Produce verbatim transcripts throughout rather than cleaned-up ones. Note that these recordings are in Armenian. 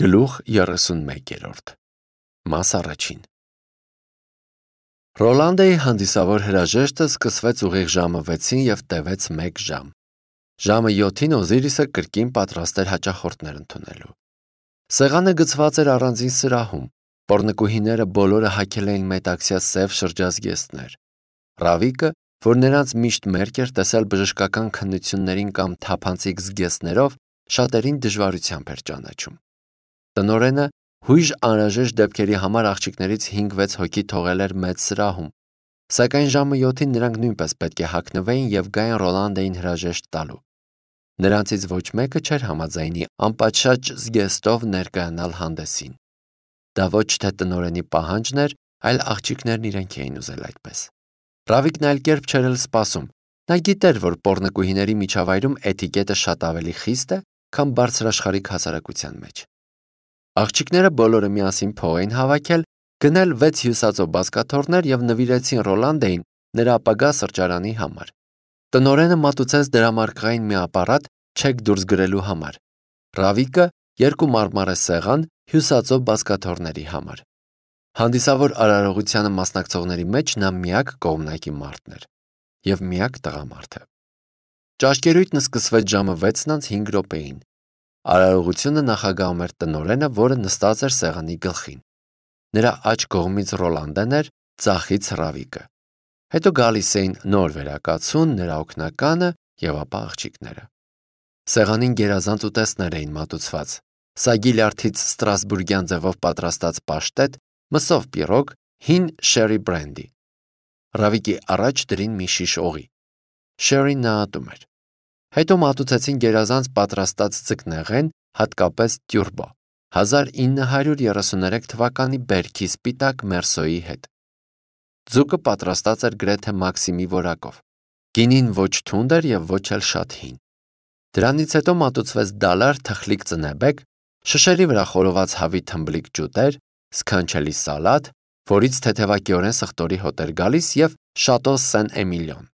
Գլուխ երեսունմեկ Մաս առաջին Ռոլանդեի հանդիսավոր հրաժեշտը սկսվեց ուղիղ ժամը վեցին և տևեց մեկ ժամ։ Ժամը յոթին Օզիրիսը կրկին պատրաստ էր հաճախորդներ ընդունելու։ Սեղանը գցված էր առանձին սրահում, պոռնկուհիները բոլորը հագել էին մետաքսյա սև շրջազգեստներ։ Ռավիկը, որ նրանց միշտ մերկ էր տեսել բժշկական քննություններին կամ թափանցիկ զգեստներով, շատերին դժվարությամբ էր ճանաչում։ Տնօրենը հույժ անհրաժեշտ դեպքերի համար աղջիկներից հինգ-վեց հոգի թողել էր մեծ սրահում, սակայն ժամը յոթին նրանք նույնպես պետք է հագնվեին և գային Ռոլանդեին հրաժեշտ տալու։ Նրանցից ոչ մեկը չէր համաձայնի անպատշաճ զգեստով ներկայանալ հանդեսին։ Դա ոչ թե տնօրենի պահանջն էր, այլ աղջիկներն իրենք էին ուզել այդպես։ Ռավիկն այլ կերպ չէր էլ սպասում։ Նա գիտեր, որ պոռնկուհիների միջավայրում էթիկետը շատ ավելի խիստ է, քան բարձրաշխարհիկ հասարակության մեջ։ Աղջիկները բոլորը միասին փող էին հավաքել, գնել վեց հյուսածո բազկաթոռներ և նվիրեցին Ռոլանդեին նրա ապագա սրճարանի համար։ Տնօրենը մատուցեց դրամարկղային մի ապարատ չեք դուրս գրելու համար։ Ռավիկը երկու մարմարե սեղան հյուսածո բազկաթոռների համար։ Հանդիսավոր արարողությանը մասնակցողների մեջ նա միակ կողմնակի մարդն էր և միակ տղամարդը։ Ճաշկերույթն սկսվեց ժամը վեցն անց հինգ րոպեին։ Արարողությունը նախագահում էր տնօրենը, որը նստած էր սեղանի գլխին։ Նրա աջ կողմից Ռոլանդեն էր, ձախից Ռավիկը։ Հետո գալիս էին նոր վերակացուն, նրա օգնականը և ապա աղջիկները։ Սեղանին գերազանց ուտեստներ էին մատուցված՝ սագի լյարդից ստրասբուրգյան ձևով պատրաստած պաշտետ, մսով պիրոգ, հին շերի բրենդի։ Ռավիկի առաջ դրին մի շիշ օղի։ Շերին նա ատում էր։ Հետո մատուցեցին գերազանց պատրաստած ձկնեղեն, հատկապես տյուրբո, հազար ինը հարյուր երեսուներեք թվականի բերքի սպիտակ մերսոյի հետ։ Ձուկը պատրաստած էր գրեթե Մաքսիմի որակով։ Գինին ոչ թունդ էր և ոչ էլ շատ հին։ Դրանից հետո մատուցվեց դալար թխլիկ ծնեբեկ, շշերի վրա խորոված հավի թմբլիկ ջուտեր, սքանչելի սալատ, որից թեթևակիորեն սխտորի հոտ էր գալիս, և շատո Սեն Էմիլիոն։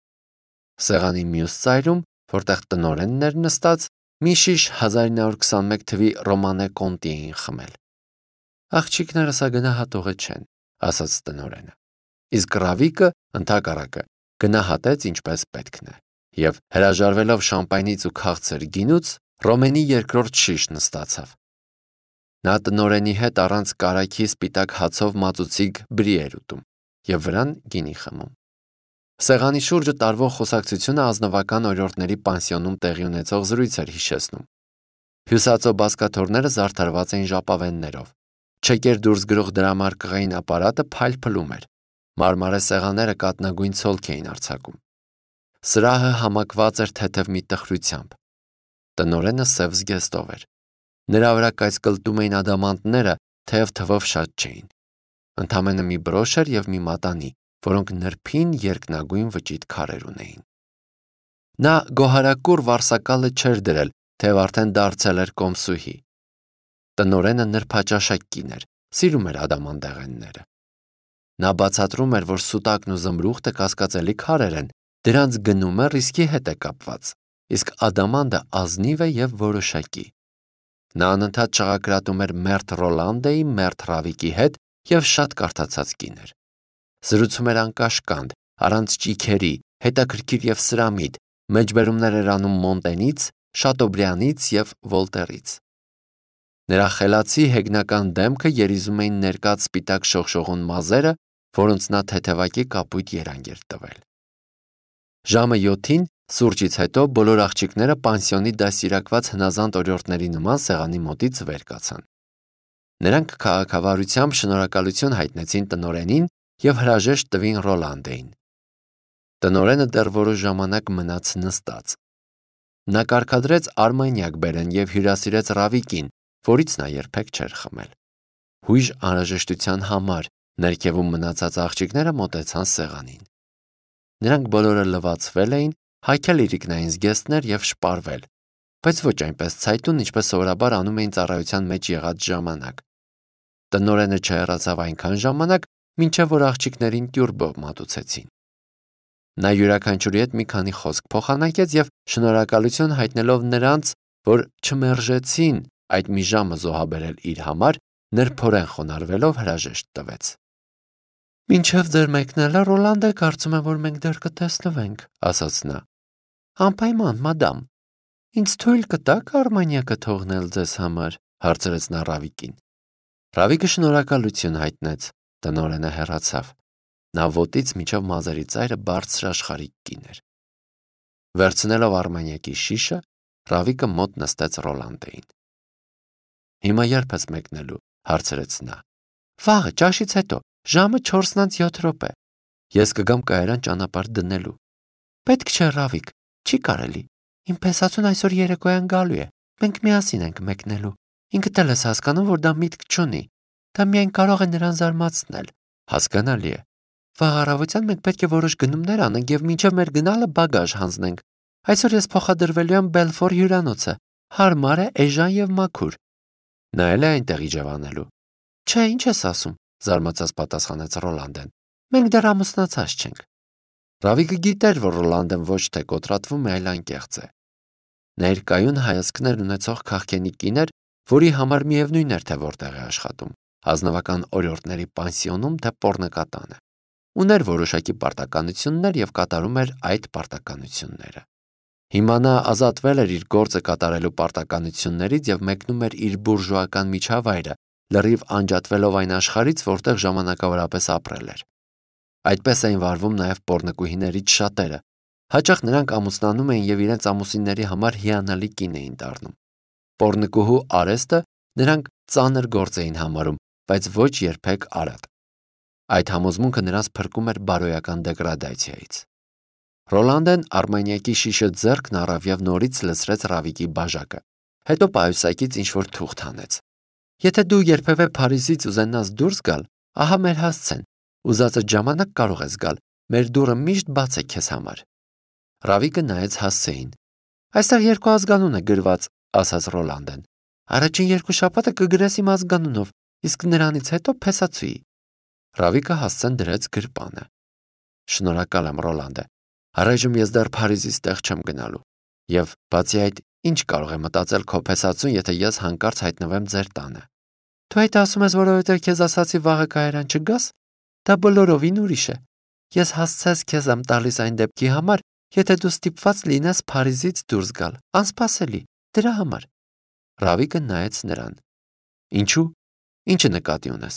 Սեղանի մյուս ծայրում, որտեղ տնօրենն էր նստած, մի շիշ հազար ինը հարյուր քսանմեկ թվի Ռոմանե Կոնտի էին խմել։ Աղջիկները սա գնահատողը չեն, ասաց տնօրենը։ Իսկ Ռավիկը, ընդհակառակը, գնահատեց ինչպես պետքն է, և հրաժարվելով շամպայնից ու քաղցր գինուց, ռոմենի երկրորդ շիշն ստացավ։ Նա տնօրենի հետ առանց կարագի սպիտակ հացով մածուցիկ բրի էր ուտում և վրան գինի խմում։ Սեղանի շուրջը տարվող խոսակցությունը ազնվական օրիորդների պանսիոնում տեղի ունեցող զրույց էր հիշեցնում։ Հյուսածո բազկաթոռները զարդարված էին ժապավեններով։ Չեկեր դուրս գրող դրամարկղային ապարատը փայլփլում էր։ Մարմարե սեղանները կաթնագույն ցոլք էին արձակում։ Սրահը համակված էր թեթև մի տխրությամբ։ Տնօրենը սև զգեստով էր։ Նրա վրա կայծկլտում էին ադամանդները, թեև թվով շատ չէին։ Ընդամենը մի բրոշ էր և մի մատանի, որոնք նրբին երկնագույն վճիտ քարեր ունեին։ Նա գոհարակուռ վարսակալը չէր դրել, թեև արդեն դարձել էր կոմսուհի։ Տնօրենը նրբաճաշակ կին էր, սիրում էր ադամանդեղենները։ Նա բացատրում էր, որ սուտակն ու զմրուխտը կասկածելի քարեր են, դրանց գնումը ռիսկի հետ է կապված, իսկ ադամանդը ազնիվ է և որոշակի։ Նա անընդհատ ճղակրատում էր մերթ Ռոլանդեի, մերթ Ռավիկի հետ և շատ կարդացած կին էր։ Զրուցում էր անկաշկանդ, առանց ճիգերի, հետաքրքիր և սրամիտ, մեջբերումներ էր անում Մոնտենից, Շատոբրյանից և Վոլտերից։ Նրա խելացի հեգնական դեմքը երիզում էին ներկած սպիտակ շողշողուն մազերը, որոնց նա թեթևակի կապույտ երանգ էր տվել։ Ժամը յոթին սուրճից հետո բոլոր աղջիկները պանսիոնի դաստիարակված հնազանդ օրիորդների նման սեղանի մոտից վեր կացան։ Նրանք քաղաքավարությամբ շնորհակալություն հայտնեցին տնօրենին և հրաժեշտ տվին Ռոլանդեին։ Տնօրենը դեռ որոշ ժամանակ մնաց նստած։ Նա կարգադրեց արմանյակ բերեն և հյուրասիրեց Ռավիկին, որից նա երբեք չէր խմել։ Հույժ անհրաժեշտության համար ներքևում մնացած աղջիկները մոտեցան սեղանին։ Նրանք բոլորը լվացվել էին, հագել իրիկնային զգեստներ և շպարվել, բայց ոչ այնպես ցայտուն, ինչպես սովորաբար անում էին ծառայության մեջ եղած ժամանակ։ Տնօրենը չհեռացավ այնքան ժամանակ, մինչև որ աղջիկներին տյուրբո մատուցեցին։ Նա յուրաքանչյուրի հետ մի քանի խոսք փոխանակեց և շնորհակալություն հայտնելով նրանց, որ չմերժեցին այդ մի ժամը զոհաբերել իր համար, նրբորեն խոնարհվելով հրաժեշտ տվեց։ «Մինչև ձեր մեկնելը, Ռոլանդը, կարծում եմ, որ մենք դեռ կտեսնվենք», ասաց նա։ «Անպայման, մադամ։ Ինձ թույլ կտաք Արմանիակը թողնել ձեզ համար», հարցրեց նա Ռավիկին։ Ռավիկը շնորհակալություն հայտնեց, տնօրենը հեռացավ։ Նա ոտից մինչև մազերի ծայրը բարձրաշխարհիկ կին էր։ Վերցնելով Արմանիակի շիշը, Ռավիկը մոտ նստեց Ռոլանդեին։ «Հիմա ե՞րբ ես մեկնելու», հարցրեց նա։ «Վաղը, ճաշից հետո, ժամը չորսն անց յոթ րոպե։ Ես կգամ կայարան ճանապարհ դնելու»։ «Պետք չէ, Ռավիկ, չի կարելի։ Իմ փեսացուն այսօր երեկոյան գալու է։ Մենք միասին ենք մեկնելու։ Ինքդ էլ ես հասկանում, որ դա միտք չունի։ Դա միայն կարող է նրան զարմացնել»։ «Հասկանալի է։ Վաղ առավոտյան մենք պետք է որոշ գնումներ անենք եւ մինչեւ մեր գնալը բագաժ հանձնենք։ Այսօր ես փոխադրվելու եմ Բելֆոր հյուրանոցը։ Հարմար է, էժան եւ մաքուր»։ Նա էլ է այնտեղ իջևանելու։ «Չէ, ինչ ես ասում», զարմացած պատասխանեց Ռոլանդեն։ «Մենք դեռ ամուսնացած չենք»։ Ռավիկը գիտեր, որ Ռոլանդեն ոչ թե կոտրատվում է, այլ անկեղծ է։ Ներկայուն հայացքներ ունեցող քաղքենի կին էր, որի համար միևնույն էր, թե որտեղ է աշխատում՝ ազնվական օրիորդների պանսիոնում, թե պոռնկատանը։ Ուներ որոշակի պարտականություններ եւ կատարում էր այդ պարտականությունները։ Հիմա նա ազատվել էր իր գործը կատարելու պարտականություններից եւ մեկնում էր իր բուրժուական միջավայրը, լրիվ անջատվելով այն աշխարհից, որտեղ ժամանակավորապես ապրել էր։ Այդպես էին վարվում նաև պոռնկուհիներից շատերը։ Հաճախ նրանք ամուսնանում էին եւ իրենց ամուսինների համար հիանալի կին էին դառնում։ Պոռնկուհու արեստը նրանք ծանր գործ էին համարում, բայց ոչ երբեք արատ։ Այդ համոզմունքը նրանց փրկում էր բարոյական դեգրադացիայից։ Ռոլանդեն Արմանիակի շիշը ձեռքն առավ եւ նորից լցրեց Ռավիկի բաժակը։ Հետո պայուսակից ինչ-որ թուղթ հանեց։ «Եթե դու երբևէ Փարիզից ուզենաս դուրս գալ, ահա մեր հասցեն։ Ուզածդ ժամանակ կարող ես գալ, մեր դուռը միշտ բաց է քեզ համար»։ Ռավիկը նայեց հասցեին։ «Այստեղ երկու ազգանուն է գրված», ասաց Ռոլանդեն։ «Առաջին երկու շաբաթը կգրես իմ ազգանունով, իսկ նրանից հետո փեսացուի»։ Ռավիկը հասցեն դրեց գրպանը։ «Շնորհակալ եմ, Ռոլանդե։ Առայժմ ես դեռ Փարիզից տեղ չեմ գնալու։ Եվ բացի այդ, ինչ կարող է մտածել քո փեսացուն, եթե ես հանկարծ հայտնվեմ ձեր տանը»։ «Դու այդ ասում ես, որովհետև քեզ ասացի վաղը կայարան չգաս։ Դա բոլորովին ուրիշ է։ Ես հասցես քեզ եմ տալիս այն դեպքի համար, եթե դու ստիպված լինես Փարիզից դուրս գալ, անսպասելի, դրա համար»։ Ռավիկը նայեց նրան։ «Ինչու՞։ Ինչը նկատի ունես»։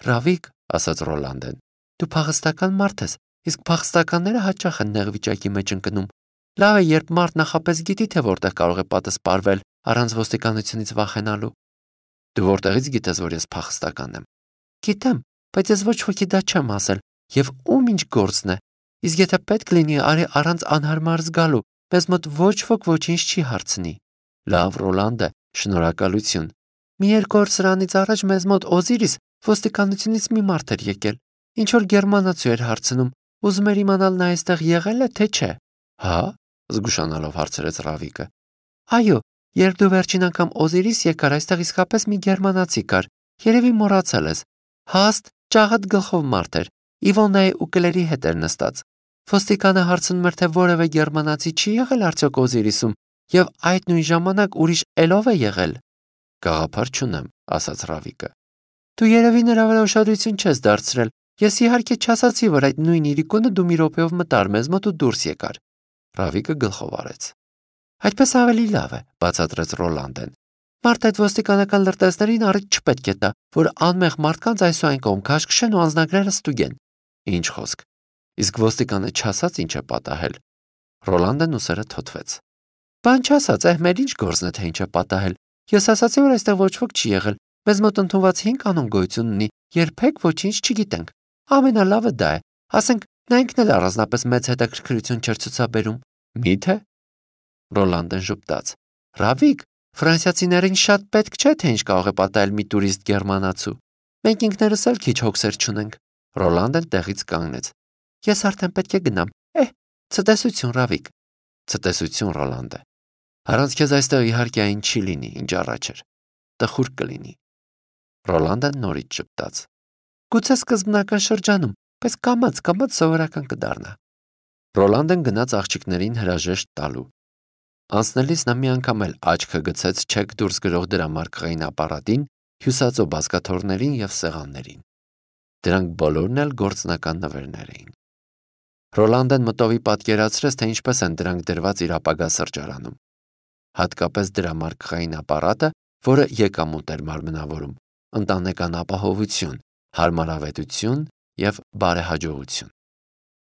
«Ռավիկ», ասաց Ռոլանդեն, «դու փախստական մարդ ես, իսկ փախստականները հաճախ են նեղ վիճակի մեջ ընկնում։ Լավ է, երբ մարդ նախապես գիտի, թե որտեղ կարող է պատասպարվել առանց ոստիկանությունից վախենալու»։ «Դու որտեղից գիտես, որ ես փախստական եմ»։ «Գիտեմ, բայց ես ոչ ոքի դա չեմ ասել, եւ ում ինչ գործն է։ Իսկ եթե պետք լինի, արի առանց անհարմար զգալու, մեզ մոտ ոչ ոք ոչինչ չի հարցնի»։ «Լավ, Ռոլանդե, շնորհակալություն։ Մի երկու օր սրանից առաջ մեզ մոտ Օզիրիս ոստիկանությունից մի մարդ էր եկել։ Ինչ որ գերմանացու էր հարցնում, ուզում էր իմանալ նա այստեղ եղել է, թե չէ»։ «Հա՞», զգուշանալով հարցրեց Ռավիկը։ «Այո, երբ դու վերջին անգամ Օզիրիս եկար, այստեղ իսկապես մի գերմանացի կար։ Երևի մոռացել ես։ Հաստ, ճաղատ գլխով մարդ էր, Իվոնայի ու Կլերի հետ էր նստած։ Ոստիկանը հարցնում էր, թե որևէ գերմանացի չի եղել արդյոք Օզիրիսում, եւ այդ նույն ժամանակ ուրիշ ելով է եղել»։ «Գաղափար չունեմ», ասաց Ռավիկը։ «Դու երևի նրա վրա ուշադրություն չես դարձրել։ Ես իհարկե չասացի, որ այդ նույն իրիկունը դու մի րոպեով մտար մեզ մոտ ու դուրս եկար»։ Ռավիկը գլխով արեց։ «Այդպես ավելի լավ է», բացատրեց Ռոլանդեն։ «Մարդ այդ ոստիկանական լրտեսներին առիթ չպետք է տա, որ անմեղ մարդկանց այս ու այն կողմ քաշքշեն ու անձնագրերը ստուգեն»։ «Ինչ խոսք։ Իսկ ոստիկանը չասաց ինչ է պատահել»։ Ռոլանդեն ուսերը թոթվեց։ «Բան չասաց, այ մեր ինչ գործն է, թե ինչ է պատահել։ Ես ասացի, որ այստեղ ոչ ոք չի եղել։ Մեզ մոտ ընդունված հինգ կանոն գոյություն ունի, երբեք ոչինչ չգիտենք։ Ամենալավը դա է։ Ասենք, նա ինքն էլ առանձնապես մեծ հետաքրքրություն չէր ցուցաբերում»։ «Մի՞թե»։ Ռոլանդեն ժպտաց։ «Ռավիկ, ֆրանսիացիներին շատ պետք չէ, թե ինչ կարող է պատահել մի տուրիստ գերմանացու։ Մենք ինքներս էլ քիչ հոգսեր չունենք»։ Ռոլանդեն տեղից կանգնեց։ «Ես արդեն պետք է գնամ։ Էհ, ցտեսություն, Ռավիկ»։ «Ցտեսություն, Ռոլանդե։ Առանց քեզ այստեղ իհարկե այն չի լինի, ինչ առաջ էր։ Տխուր կլինի»։ Ռոլանդեն նորից ժպտաց։ «Գուցե սկզբնական շրջանում, բայց կամաց-կամաց սովորական կդառնա»։ Ռոլանդեն գնաց աղջիկներին հրաժեշտ տալու։ Անցնելիս նա մի անգամ էլ աչքը գցեց չեք դուրս գրող դրամարկղային ապարատին, հյուսածո բազկաթոռներին և սեղաններին։ Դրանք բոլորն էլ գործնական նվերներ էին։ Ռոլանդեն մտովի պատկերացրեց, թե ինչպես են դրանք դրված իր ապագա սրճարանում։ Հատկապես դրամարկղային ապարատը, որը եկամուտ էր մարմնավորում, ընտանեկան ապահովություն, հարմարավետություն և բարեհաջողություն։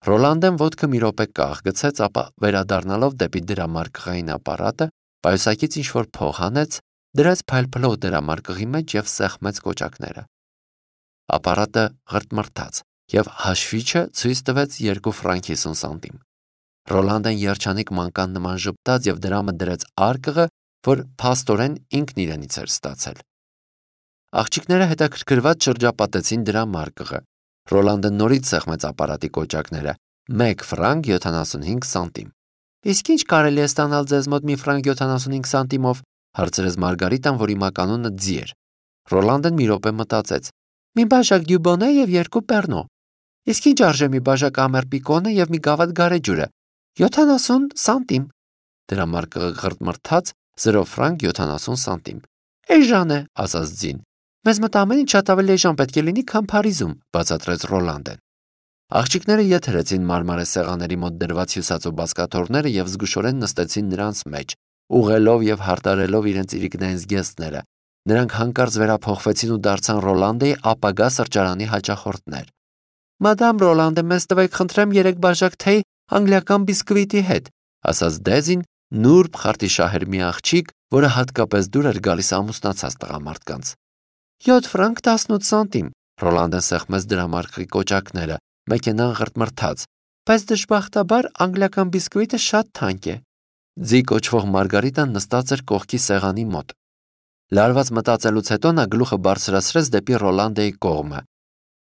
Ռոլանդեն ոտքը մի րոպե կաղ գցեց, ապա վերադառնալով դեպի դրամարկղային ապարատը, պայուսակից ինչ-որ փող հանեց, դրեց փայլփլող դրամարկղի մեջ և սեղմեց կոճակները։ Ապարատը ղրտմռթաց, և հաշվիչը ցույց տվեց երկու ֆրանկ հիսուն սանտիմ։ Ռոլանդեն երջանիկ մանկան նման ժպտաց և դրամը դրեց արկղը, որ փաստորեն ինքն իրենից էր ստացել։ Աղջիկները հետաքրքրված շրջապատեցին դրամարկղը։ Ռոլանդը նորից սեղմեց ապարատի կոճակները՝ մեկ ֆրանկ յոթանասունհինգ սանտիմ։ Իսկ ինչ կարելի է ստանալ ձեզ մոտ մի ֆրանկ յոթանասունհինգ սանտիմով, հարցրեց Մարգարիտան, որի մականունը ձի էր։ Ռոլանդեն մի րոպե մտածեց. մի բաժակ դյուբոնե և երկու պեռնո։ Իսկ ինչ արժե մի բաժակ ամեր պիկոնը և մի գավաթ գարեջուրը։ յոթանասուն սանտիմ։ Դրամարկղը ղրտմռթաց զրո ֆրանկ յոթանասուն սանտիմ։ Էժան է, ասաց ձին։ Մեզ մոտ ամեն ինչ շատ ավելի էժան պետք է լինի, քան Փարիզում, բացատրեց Ռոլանդեն։ Աղջիկները եթերեցին մարմարե սեղանների մոտ դրված հյուսածո բազկաթոռները և զգուշորեն նստեցին նրանց մեջ, ուղղելով և հարդարելով իրենց իրիկնային զգեստները։ Նրանք հանկարծ վերափոխվեցին ու դարձան Ռոլանդեի ապագա սրճարանի հաճախորդներ։ Մադամ Ռոլանդե, մեզ տվեք խնդրեմ երեք բաժակ թեյ անգլիական բիսկվիտի հետ, ասաց Դեզին, նուրբ խարտիշահեր մի աղջիկ, որը հատկապես դուր էր գալիս ամուսնացած տղամարդկանց։ յոթ ֆրանկ տասնութ սանտիմ։ Ռոլանդեն սեղմեց դրամարկղի կոճակները, մեքենան ղրտմռթաց, բայց դժբախտաբար անգլիական բիսկվիտը շատ թանկ է։ Ձի կոչվող Մարգարիտան նստած էր կողքի սեղանի մոտ։ Լարված մտածելուց հետո նա գլուխը բարձրացրեց դեպի Ռոլանդեի կողմը։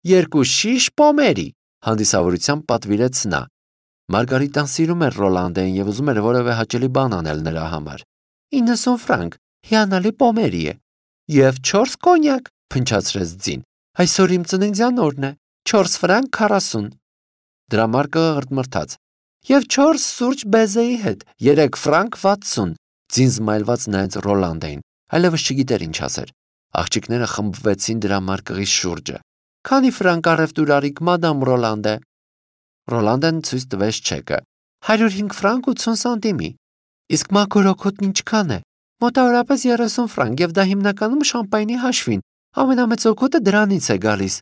Երկու շիշ պոմերի, հանդիսավորությամբ պատվիրեց նա։ Մարգարիտան սիրում էր Ռոլանդեին և ուզում էր որևէ հաճելի բան անել նրա համար։ իննսուն ֆրանկ, հիանալի պոմերի է։ Եվ չորս կոնյակ, փնչացրեց ձին։ Այսօր իմ ծննդյան օրն է, չորս ֆրանկ քառասուն։ Դրամարկղը ղրտմռթաց։ Եվ չորս սուրճ բեզեի հետ, երեք ֆրանկ վաթսուն։ Ձին զմայլված նայեց Ռոլանդեին, այլևս չգիտեր ինչ ասեր։ Աղջիկները խմբվեցին դրամարկղի շուրջը։ Քանի ֆրանկ առևտուր արիք, մադամ Ռոլանդե։ Ռոլանդեն ցույց տվեց չեկը։ հարյուր հինգ ֆրանկ ութսուն սանտիմի։ Իսկ մաքուր օգուտն ինչքան է։ Մոտավորապես երեսուն ֆրանկ, և դա հիմնականում շամպայնի հաշվին։ Ամենամեծ օգուտը դրանից է գալիս։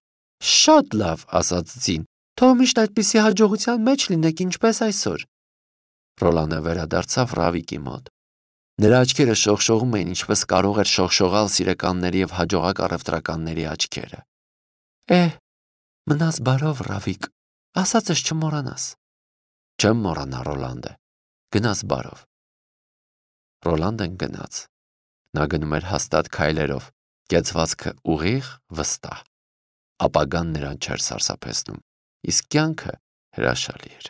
Շատ լավ, ասաց ձին։ Թող միշտ այդպիսի հաջողության մեջ լինեք, ինչպես այսօր։ Ռոլանդը վերադարձավ Ռավիկի մոտ։ Նրա աչքերը շողշողում էին, ինչպես կարող էր շողշողալ սիրեկանների և հաջողակ առևտրականների աչքերը։ Էհ, մնաս բարով, Ռավիկ, ասածս չմոռանաս։ Չեմ մոռանա, Ռոլանդե, գնաս բարով։ Ռոլանդեն գնաց։ Նա գնում էր հաստատ քայլերով, կեցվածքը ուղիղ, վստահ։ Ապագան նրան չէր սարսափեցնում, իսկ կյանքը հրաշալի էր։